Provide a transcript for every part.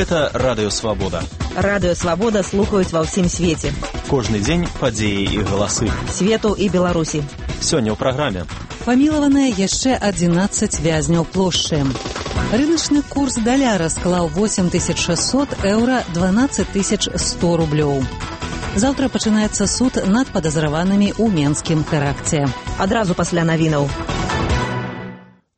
Гэта Радыё Свабода. Радыё Свабода слухаюць ва ўсім свеце. Кожны дзень падзеі і галасы. Свету і Беларусі. Сёння ў праграме. Памілаваныя яшчэ 11 вязняў плошчы. Рыначны курс даляра склаў 8600 еўра, 12100 рублёў. Заўтра пачынаецца суд над падазраванымі ў менскім тэракце. Адразу пасля навінаў.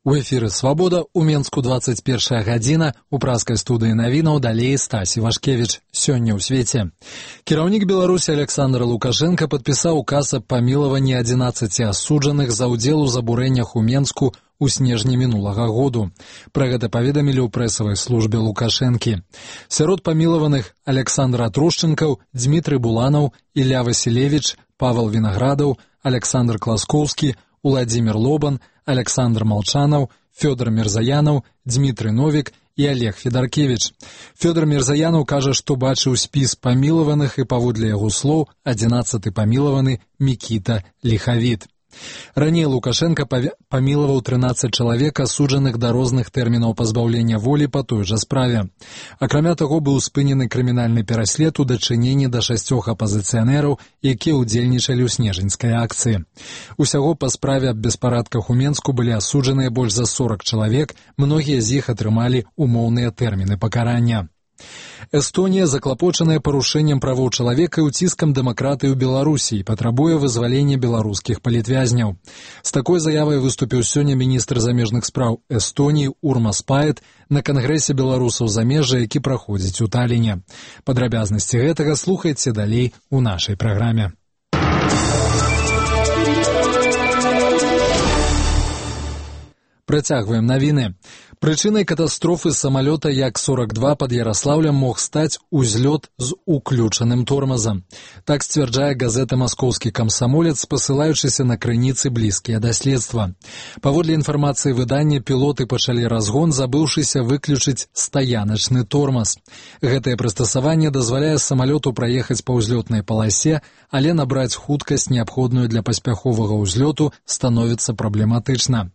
У эфіры «Свабода» у Менску 21 гадзіна, у праскай студыі навінаў далей Стась Івашкевіч. Сёння ў свеце. Кіраўнік Беларусі Александр Лукашенко падпісаў указ аб памілаванні 11 асуджаных за ўдзел у забурэннях у Менску у снежні мінулага году. Пра гэта паведамілі ў прэсавай службе Лукашэнкі. Сярод памілаваных Александр Трушчэнкаў, Дмітрый Буланаў, Ілля Васілевіч, Павел Вінаградаў, Александр Класкоўскі, Уладзімір Лобан, Александр Малчанаў, Фёдор Мірзаянаў, Дмітрый Новік і Олег Федаркевіч. Фёдор Мірзаянаў кажа, што бачыў спіс памілаваных і паводле яго слоў 11-ы памілаваны Мікіта Ліхавіт. Раней Лукашенко памілаваў 13 чалавек, асуджаных да розных тэрмінаў пазбаўлення волі па той жа справе. Акрамя таго, быў спынены крымінальны пераслед у дачыненні да 6 апазіцыянераў, якія ўдзельнічалі ў снежаньскай акцыі. Усяго па справе аб беспарадках у Менску былі асуджаныя больш за 40 чалавек, многія з іх атрымалі умоўныя тэрміны пакарання. Эстонія заклапочаная парушэннем правоў чалавека і ўціскам дэмакратыі ў Беларусі і патрабуе вызвалення беларускіх палітвязняў. З такой заявай выступіў сёння міністр замежных спраў Эстоніі Урмас Паэт на кангрэсе беларусаў замежжа, які праходзіць у Таліне. Падрабязнасці гэтага слухайце далей у нашай праграме. Працягваем навіны. Прычынай катастрофы самалёта Як-42 пад Яраслаўлем мог стаць узлёт з уключаным тормазам. Так сцвярджае газета «Маскоўскі камсамолец», спасылаючыся на крыніцы блізкія да следства. Паводле інфармацыі выдання, пілоты пачалі разгон, забыўшыся выключыць стаяначны тормаз. Гэтае прыстасаванне дазваляе самалёту праехаць па ўзлётнай паласе, але набраць хуткасць, неабходную для паспяховага ўзлёту, становіцца праблематычна.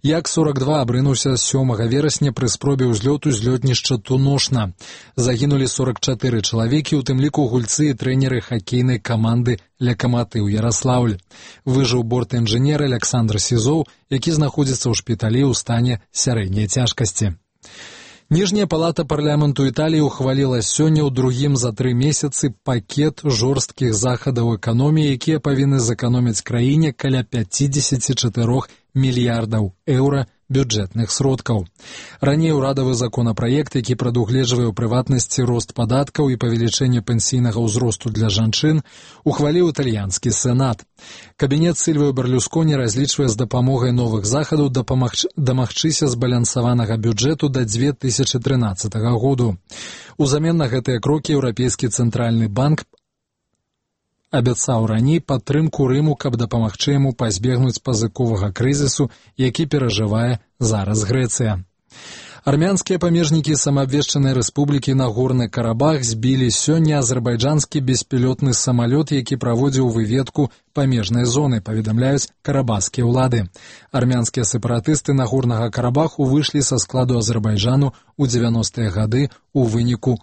Як-42 абрынуўся 7 верасня пры спробе ўзлёту з лётнішча Туношна. Загінулі 44 чалавекі, у тым ліку гульцы і трэнеры хакейнай каманды «Лакаматыў Яраслаўль». Выжыў борт-інжынер Александр Сізоў, які знаходзіцца ў шпіталі ў стане сярэдняй цяжкасці. Ніжняя палата парламенту Італіі ухваліла сёння ў другім за 3 месяцы пакет жорсткіх захадаў эканоміі, якія павінны зэканоміць краіне каля 54 мільярдаў еўра бюджэтных сродкаў. Раней урадавы законапраект, які прадугледжвае ў прыватнасці рост падаткаў і павелічэнне пенсійнага ўзросту для жанчын, ухваліў італьянскі сенат. Кабінет Сільвіо Берлюсконі разлічвае з дапамогай новых захадаў дамагчыся збалансаванага бюджэту да 2013 году. Узамен на гэтыя крокі Еўрапейскі цэнтральны банк абяцаў раней падтрымку Рыму, каб дапамагчы яму пазбегнуць пазыковага крызісу, які перажывае зараз Грэцыя. Армянскія памежнікі самаабвешчанай рэспублікі Нагорны Карабах збілі сёння азербайджанскі беспілотны самалёт, які праводзіў выведку памежнай зоны, паведамляюць карабахскія ўлады. Армянскія сепаратысты Нагорнага Карабаху выйшлі са складу Азербайджану ў 90-е гады ў выніку